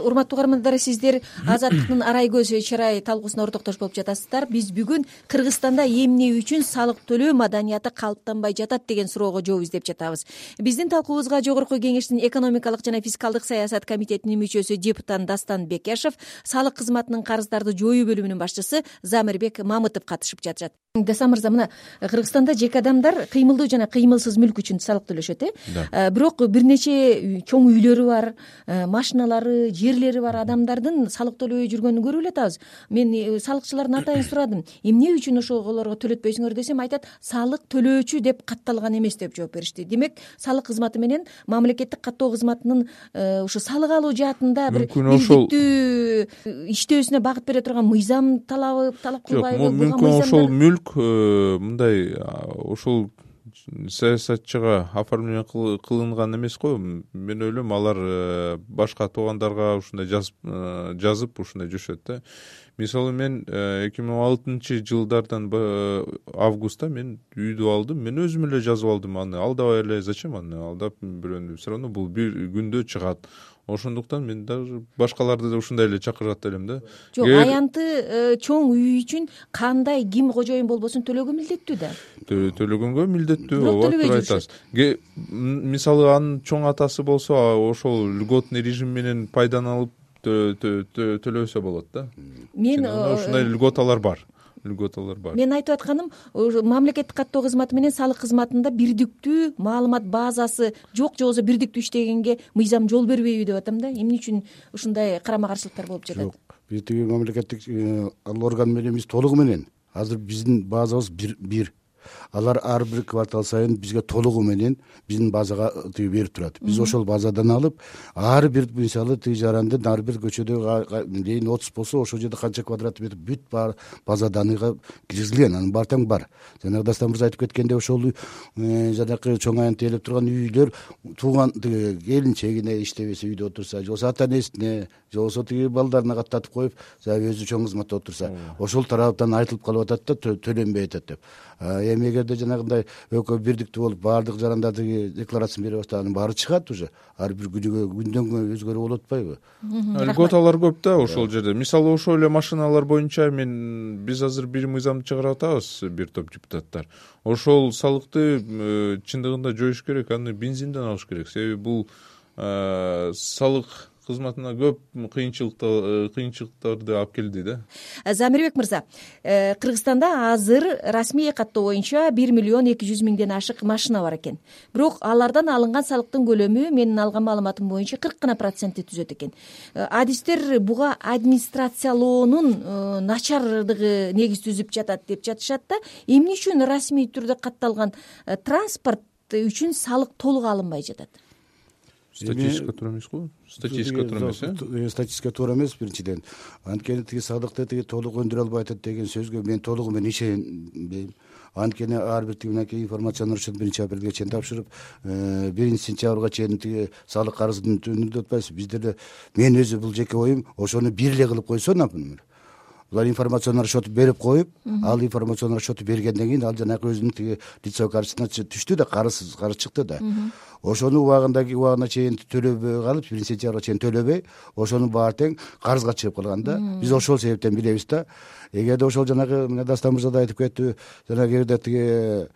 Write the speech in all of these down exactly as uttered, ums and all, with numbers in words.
Урматтуу угармандар, сиздер Азаттыктын арай көз чырай талкуусуна ортоктош болуп жатасыздар. Биз бүгүн Кыргызстанда эмне үчүн салык төлөө маданияты калыптанбай жатат деген суроого жооп издеп жатабыз. Биздин талкуубузга Жогорку Кеңештин экономикалык жана фискалдык саясат комитетинин мүчөсү депутат Дастан Бекешев, салык кызматынын карыздарды жоюу бөлүмүнүн башчысы Замирбек Мамытов катышып жатышат. Дастан мырза, мына Кыргызстанда жеке адамдар кыймылдуу жана кыймылсыз мүлк үчүн салык төлөшөт, э? Бирок бир нече чоң үйлөрү бар, машиналары, жерлери бар адамдардын салык төлөбөй жүргөнүн көрүп эле атабыз. Мен салыкчылардан атайын сурадым, эмне үчүн ошолорго төлөтпөйсүңөр десем, айтат, салык төлөөчү деп катталган эмес деп жооп беришти. Демек, салык кызматы менен мамлекеттик каттоо кызматынын ушу салык алуу жаатында бир бирдиктүү иштөөсүнө багыт бере турган мыйзам талабы талап кылбайбы? Мүмкүн ошол мүлк мындай ошол саясатчыга оформление кылынган эмес го. Мен ойлойм, алар башка туугандарга ушундай жазып жазып ушундай жашашат да. Мисалы, мен эки миң он алтынчы жылдардан августта мен үйдү алдым. Мен өзүм эле жазып алдым. Аны алдабай эле зачем аны алдап бирөөнү? Все равно бул бир күндө чыгат. Ошондуктан мен даже башкаларды да ушундай эле чакырат элем да. Жок, аянты чоң үй үчүн кандай ким кожоюн болбосун төлөөгө милдеттүү да. Төлөгөнгө милдеттүү, ооба, туура айтасыз. Мисалы, анын чоң атасы болсо, ошол льготный режим менен пайдаланып төлөсө болот да. Мен ушундай льготалар бар. льготалар бар. Мен айтып атканым, мамлекеттик каттоо кызматы менен салык кызматында бирдиктүү маалымат базасы жок, же болбосо бирдиктүү иштегенге мыйзам жол бербейби деп атам да. Эмне үчүн ушундай карама каршылыктар болуп жатат? Жок, биз тиги мамлекеттик орган менен биз толугу менен азыр биздин базабыз бир. Алар ар бир квартал сайын бизге толугу менен биздин базага тиги берип турат. Биз ошол базадан алып, ар бир мисалы тиги жарандын ар бир көчөдө дейин отуз болсо, ошол жерде канча квадрат метр бүт бар базаданыга киргизилген, анын бар тең бар. Жанагы Дастан мырза айтып кеткендей, ошол жанакы чоң аянт ээлеп турган үйлөр тууган тиги келинчегине иштебесе үйдө отурса, же болбосо ата энесине, же болбосо тиги балдарына каттатып коюп, өзү чоң кызматта отурса, ошол тараптан айтылып калып атат да, төлөнбөй атат деп. Эми эгерде жанагындай экөө бирдиктүү болуп баардык жарандар тиги декларациясын бере баштаган, баары чыгат уже. Ар бир күнүгө күндөн күнгө өзгөрүп болуп атпайбы? Льготалар көп да ошол жерде. Мисалы, ошол эле машиналар боюнча мен биз азыр бир мыйзамды чыгарып атабыз, бир топ депутаттар. Ошол салыкты чындыгында жоюш керек, аны бензинден алыш керек. Себеби бул салык кызматына көп кыйынчылыктарды алып келди да. Замирбек мырза, Кыргызстанда азыр расмий каттоо боюнча бир миллион эки жүз миңден ашык машина бар экен. Бирок алардан алынган салыктын көлөмү менин алган маалыматым боюнча кырк гана процентти түзөт экен. Адистер буга администрациялоонун начардыгы негиз түзүп жатат деп жатышат да. Эмне үчүн расмий түрдө катталган транспорт үчүн салык толук алынбай жатат? Статистика туура эмес го? Статистика туура эмес, э? Статистика туура эмес биринчиден. Анткени тиги салыкты тиги толук өндүрө албай атат деген сөзгө мен толугу менен ишенбейм. Анткени ар бир тиги мынакей информациялар үчүн биринчи апрелге чейин тапшырып, биринчи сентябрга чейин тиги салык карызын өндүрүп атпайсыз. Бизде эле мен өзү бул жеке оюм, ошону бир эле кылып койсо, например. Булар информационный расчет берип коюп, ал информационный расчет бергенден кийин ал жанагы өзүнүн тиги лицевой карточкасына түштү да, карыз карыз чыкты да. Ошону убагындагы убагына чейин төлөбөй калып, биринчи сентябрга чейин төлөбөй, ошонун баары тең карызга чыгып калган да. Биз ошол себептен билебиз да. Эгерде ошол жанагы мына Дастан мырза да айтып кетти, жанагы жерде тиги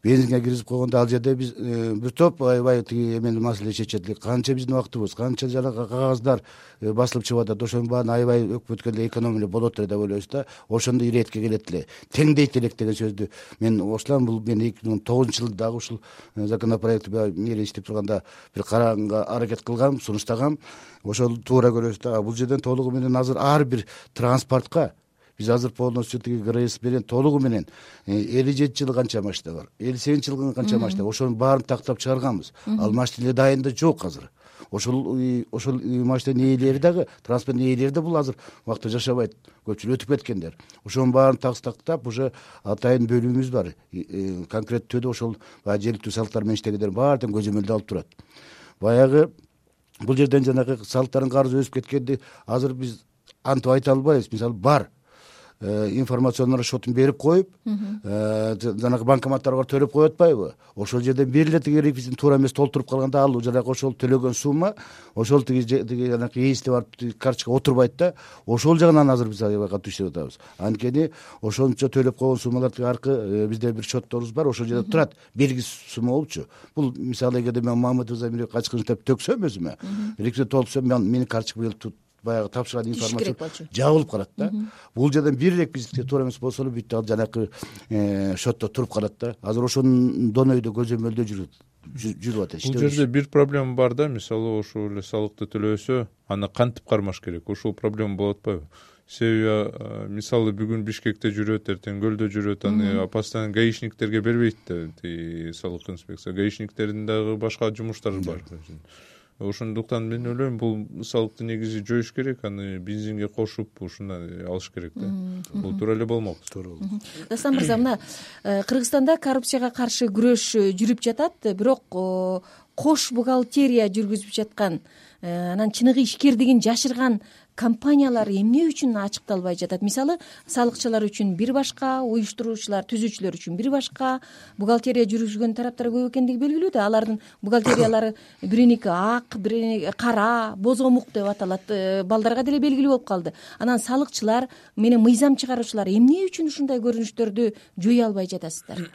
бензинге киргизип койгондо ал жерде биз бир топ аябай тиги эмен маселе чечет. Канча биздин убактыбыз, канча жанагы кагаздар басылып чыгып атат, ошонун баарын аябай өкмөткө эле экономия болот эле деп ойлойбуз да. Ошондо иретке келет эле, теңдейт элек деген сөздү мен ошолам. Бул мен эки миң он тогузунчу жылы дагы ушул законопроект мээре иштеп турганда бир караганга аракет кылгам, сунуштагам. Ошол туура көрөбүз да. Бул жерден толугу менен азыр ар бир транспортко биз азыр полностью тиги ГРС менен толугу менен элүү жети жылы канча машина бар, элүү сегизинчи жылы канча машина, ошонун баарын тактап чыгарганбыз. Ал машина дайында жок азыр. Ошол ошол машинанын ээлери дагы, транспорттун ээлери да бул азыр убакта жашабайт. Көпчүлүк өтүп кеткендер. Ошонун баарын тактап уже атайын бөлүмүбүз бар. Конкреттүү түрдө ошол жергиликтүү салыктар менен иштегендер баары тең көзөмөлдө алып турат. Баягы бул жерден жанагы салыктардын карызы өсүп кеткенди азыр биз антип айта албайбыз. Мисалы бар информационный расчетун берип коюп жанагы банкоматтарга төлөп коюп атпайбы, ошол жерден бир эле тиги реквизитин туура эмес толтуруп калганда ал жанагы ошол төлөгөн сумма ошол тиги тиги жанагы ээсине барып карточкага отурбайт да, ошол жагынан азыр биз аябай катуу иштеп атабыз. Анткени ошончо төлөп койгон суммалар тиги аркы бизде бир счетторубуз бар, ошол жерде турат белгисиз сумма болупчу. Бул мисалы эгерде мен Мамытов Замирге качкын деп төксөм өзүмө, реквизит толтурсам менин карточкама баягы тапшырган информация жабылып калат да. Бул жерден бир реквизитке туура эмес болсо эле бүт ал жанакы счетто туруп калат да. Азыр ошондон өйдө көзөмөлдөө жүрүп жүрүп атат. Бул жерде бир проблема бар да, мисалы ошол эле салыкты төлөбөсө аны кантип кармаш керек, ошол проблема болуп атпайбы? Себеби мисалы бүгүн Бишкекте жүрөт, эртең Көлдө жүрөт, аны постоянно гаишниктерге бербейт да салык инспекция. Гаишниктердин дагы башка жумуштары бар. Ошондуктан мен ойлойм бул салыкты негизи жоюш керек, аны бензинге кошуп ушундай алыш керек да. Бул туура эле болмок. Дастан мырза, мына Кыргызстанда коррупцияга каршы күрөш жүрүп жатат, бирок кош бухгалтерия жүргүзүп жаткан, анан чыныгы ишкердигин жашырган компаниялар эмне үчүн ачыкталбай жатат? Мисалы, салыкчылар үчүн бир башка, уюштуруучулар, түзүүчүлөр үчүн бир башка, бухгалтерия жүргүзгөн тараптар көп экендиги белгилүү да. Алардын бухгалтериялары бириники ак, бириники кара, бозомук деп аталат. Балдарга деле белгилүү болуп калды. Анан салыкчылар менен мыйзам чыгаруучулар эмне үчүн ушундай көрүнүштөрдү жоюя албай жатасыздар?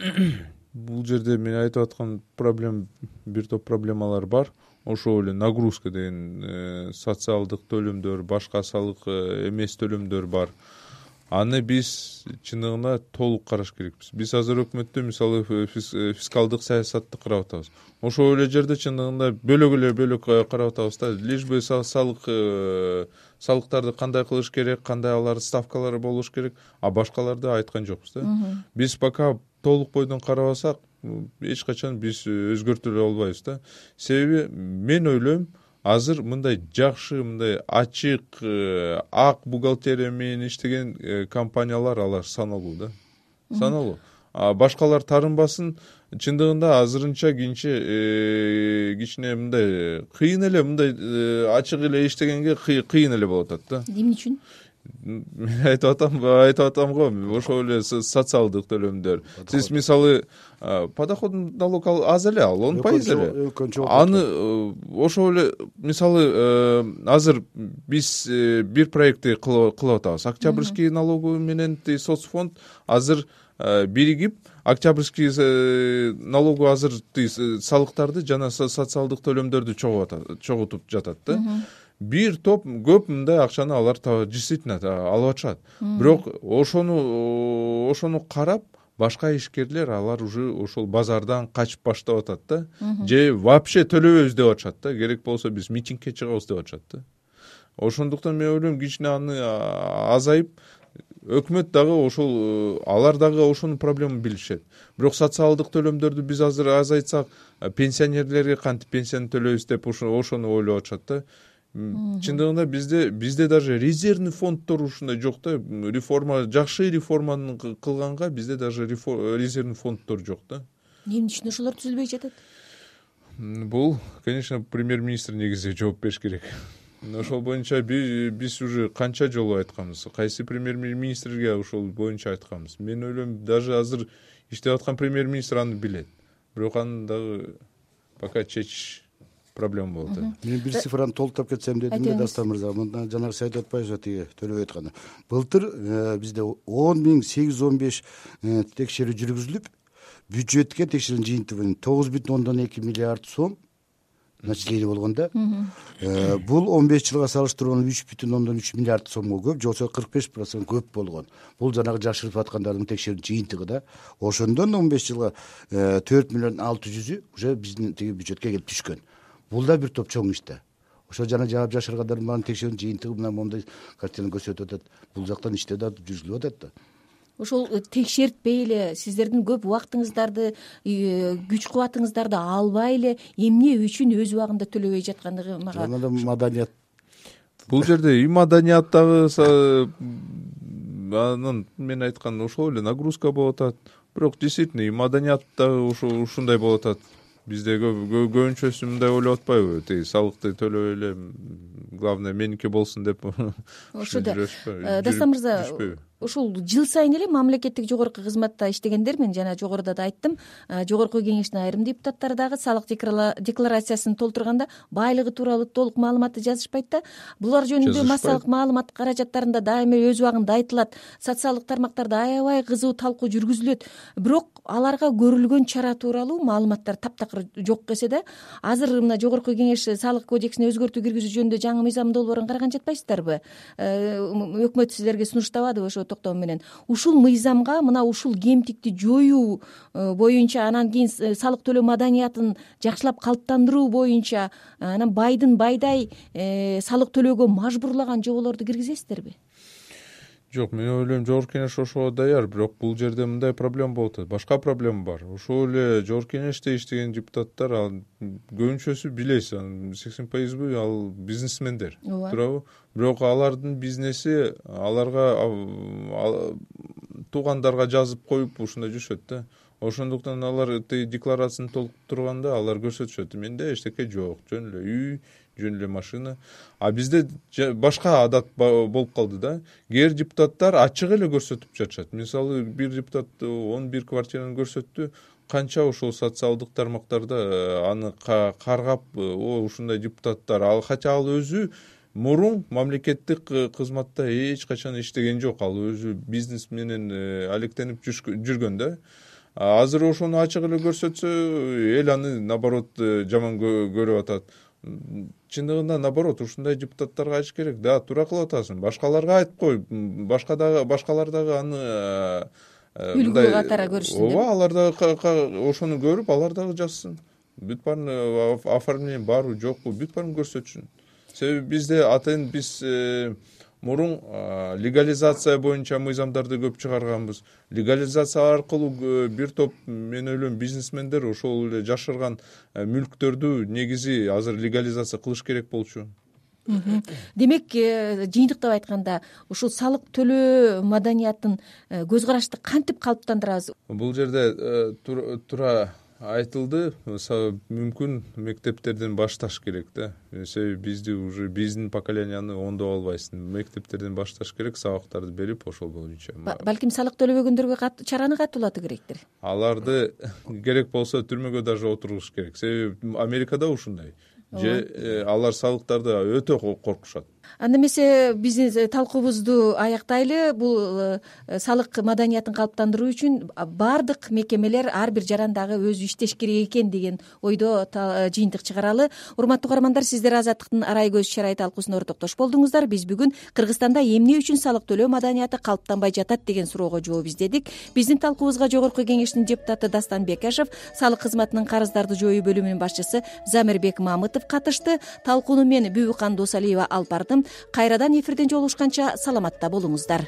Бул жерде мен айтып аткан проблема, бир топ проблемалар бар. Ошол эле нагрузка деген социалдык төлөмдөр, башка салык эмес төлөмдөр бар. Аны биз чындыгында толук караш керекпиз. Биз азыр өкмөттө мисалы фискалдык саясатты карап атабыз. Ошол эле жерде чындыгында бөлөк эле бөлөк карап атабыз да. Лишь бы салык салыктарды кандай кылыш керек, кандай алар ставкалары болуш керек, а башкаларды айткан жокпуз да. Биз пока толук бойдон карабасак, эч качан биз өзгөртө албайбыз да. Себеби мен ойлойм, азыр мындай жакшы, мындай ачык, ак бухгалтерия менен иштеген компаниялар алар саналуу да. Саналуу. А башкалар тарынбасын, чындыгында азырынча кийинче кичине мындай кыйын эле, мындай ачык эле иштегенге кыйын эле болуп атат да. Эмне үчүн? Мен айтып атам, айтып атам го, ошол эле социалдык төлөмдөр. Сиз мисалы подоходный налог аз эле ал, он пайыз эле. Аны ошол эле мисалы азыр биз бир проектти кылып атабыз. Октябрьский налоговый менен соцфонд азыр биригип, Октябрьский налоговый азыр салыктарды жана социалдык төлөмдөрдү чогултуп жатат да. Бир топ көп мындай акчаны алар действительно алып атышат. Бирок ошону ошону карап башка ишкерлер алар уже ошол базардан качып баштап атат да. Же вообще төлөбөйбүз деп атышат да. Керек болсо биз митингге чыгабыз деп атышат да. Ошондуктан мен ойлойм, кичине аны азайып, өкмөт дагы ошол алар дагы ошонун проблемын билишет. Бирок социалдык төлөмдөрдү биз азыр азайтсак, пенсионерлерге кантип пенсияны төлөйбүз деп ошону ойлоп атышат да. Чындыгында бизде бизде даже резервный фонддор ушундай жок да. Реформа, жакшы реформаны кылганга бизде даже резервный фонддор жок да. Эмне үчүн ошолор түзүлбөй жатат? Бул, конечно, премьер-министр негизи жооп бериш керек. Ошол боюнча биз уже канча жолу айтканбыз. Кайсы премьер-министрге ошол боюнча айтканбыз. Мен ойлойм, даже азыр иштеп аткан премьер-министр аны билет. Бирок аны дагы пока чечиш проблема болуп атат. Мен бир цифраны толуктап кетсем дедим да, Дастан мырза. Мындан жанагы сиз айтып атпайсызбы, тиги төлөбөй атканы. Былтыр бизде он миң сегиз жүз он беш текшерүү жүргүзүлүп, бюджетке текшерүүнүн жыйынтыгы тогуз бүтүн ондон эки миллиард сом начисление болгон да. Бул он беш жылга салыштырганда үч бүтүн ондон үч миллиард сомго көп, же болбосо кырк беш процент көп болгон. Бул жанагы жашырып аткандардын текшерүүнүн жыйынтыгы да. Ошондон он беш жылга төрт миллион алты жүзү уже биздин тиги бюджетке келип түшкөн. Бул да бир топ чоң иш да. Ошо жана жаап жашыргандардын баарын текшерүүнүн жыйынтыгы мына моундай картинаны көрсөтүп атат. Бул жактан иште да жүргүзүлүп атат да. Ошол текшертпей эле сиздердин көп убактыңыздарды, күч кубатыңыздарды албай эле эмне үчүн өз убагында төлөбөй жаткандыгы мага. Жана маданият. Бул жерде и маданият дагы анын мен айткан ошол эле нагрузка болуп атат. Бирок действительно и маданият дагы ушундай болуп атат. Бизде көбүнчөсү мындай ойлоп атпайбы? Тиги салыкты төлөбөй эле, главное меники болсун деп. Ошо да. Дастан мырза, ушул жыл сайын эле мамлекеттик жогорку кызматта иштегендер, мен жана жогоруда да айттым, жогорку кеңештин айрым депутаттары дагы салык декларациясын толтурганда байлыгы тууралуу толук маалыматты жазышпайт да. Булар жөнүндө массалык маалымат каражаттарында дайыма өз убагында айтылат, социалдык тармактарда аябай кызуу талкуу жүргүзүлөт, бирок аларга көрүлгөн чара тууралуу маалыматтар таптакыр жок эсе да. Азыр мына жогорку кеңеш салык кодексине өзгөртүү киргизүү жөнүндө жаңы мыйзам долбоорун караган жатпайсыздарбы? Өкмөт силерге сунуштабадыбы ошо токтом менен? Ушул мыйзамга мына ушул кемтикти жоюу боюнча, анан кийин салык төлөө маданиятын жакшылап калыптандыруу боюнча, анан байдын байдай салык төлөөгө мажбурлаган жоболорду киргизесиздерби? Жок, мен ойлойм жогорку кеңеш ошого даяр, бирок бул жерде мындай проблема болуп атат. Башка проблема бар. Ошол эле жогорку кеңеште иштеген депутаттар, ал көбүнчөсү билесиз, сексен пайызбы ал бизнесмендер, туурабы? Бирок алардын бизнеси аларга туугандарга жазып коюп ушундай жүрүшөт да. Ошондуктан алар декларацияны толтурганда алар көрсөтүшөт, менде эчтеке жок, жөн эле үй, жөн эле машина. А бизде башка адат болуп калды да. Кээ депутаттар ачык эле көрсөтүп жатышат. Мисалы, бир депутат он бир квартираны көрсөттү, канча ошол социалдык тармактарда аны каргап, о ушундай депутаттар, ал хотя ал өзү мурун мамлекеттик кызматта эч качан иштеген жок, ал өзү бизнес менен алектенип жүргөн да. Азыр ошону ачык эле көрсөтсө, эл аны наоборот жаман көрүп атат. Чындыгында наоборот, ушундай депутаттарга айтыш керек. Да, туура кылып атасың. Башкаларга айтып кой. Башка дагы башкалар дагы аны үлгү катары көрүшсүн деп. Ооба, алар дагы ошону көрүп, алар дагы жазсын. Бүт баарын оформление барбы, жокпу, бүт баарын көрсөтсүн. Себеби бизде атайын биз мурун легализация боюнча мыйзамдарды көп чыгарганбыз. Легализация аркылуу бир топ, мен ойлойм, бизнесмендер ошол эле жашырган мүлктөрдү негизи азыр легализация кылыш керек болчу. Демек, жыйынтыктап айтканда, ушул салык төлөө маданиятын көз карашты кантип калыптандырабыз? Бул жерде туура айтылды, мүмкүн мектептерден башташ керек да. Себеби бизди уже биздин поколенияны оңдоп албайсың. Мектептерден башташ керек, сабактарды берип ошол боюнча. Балким салык төлөбөгөндөргө чараны катуулатуу керектир. Аларды керек болсо түрмөгө даже отургуш керек. Себеби Америкада ушундай. Же алар салыктарды өтө коркушат. Анда эмесе биздин талкуубузду аяктайлы. Бул салык маданиятын калыптандыруу үчүн баардык мекемелер, ар бир жарандагы өзү иштеш керек экен деген ойдо жыйынтык чыгаралы. Урматтуу угармандар, сиздер Азаттыктын арай көз чарай талкуусуна ортоктош болдуңуздар. Биз бүгүн Кыргызстанда эмне үчүн салык төлөө маданияты калыптанбай жатат деген суроого жооп издедик. Биздин талкуубузга жогорку кеңештин депутаты Дастан Бекашев, салык кызматынын карыздарды жоюу бөлүмүнүн башчысы Замирбек Мамытов катышты. Талкууну мен Бүбүкан Досалиева алып бардым. Кайрадан эфирден жолугушканча саламатта болуңуздар.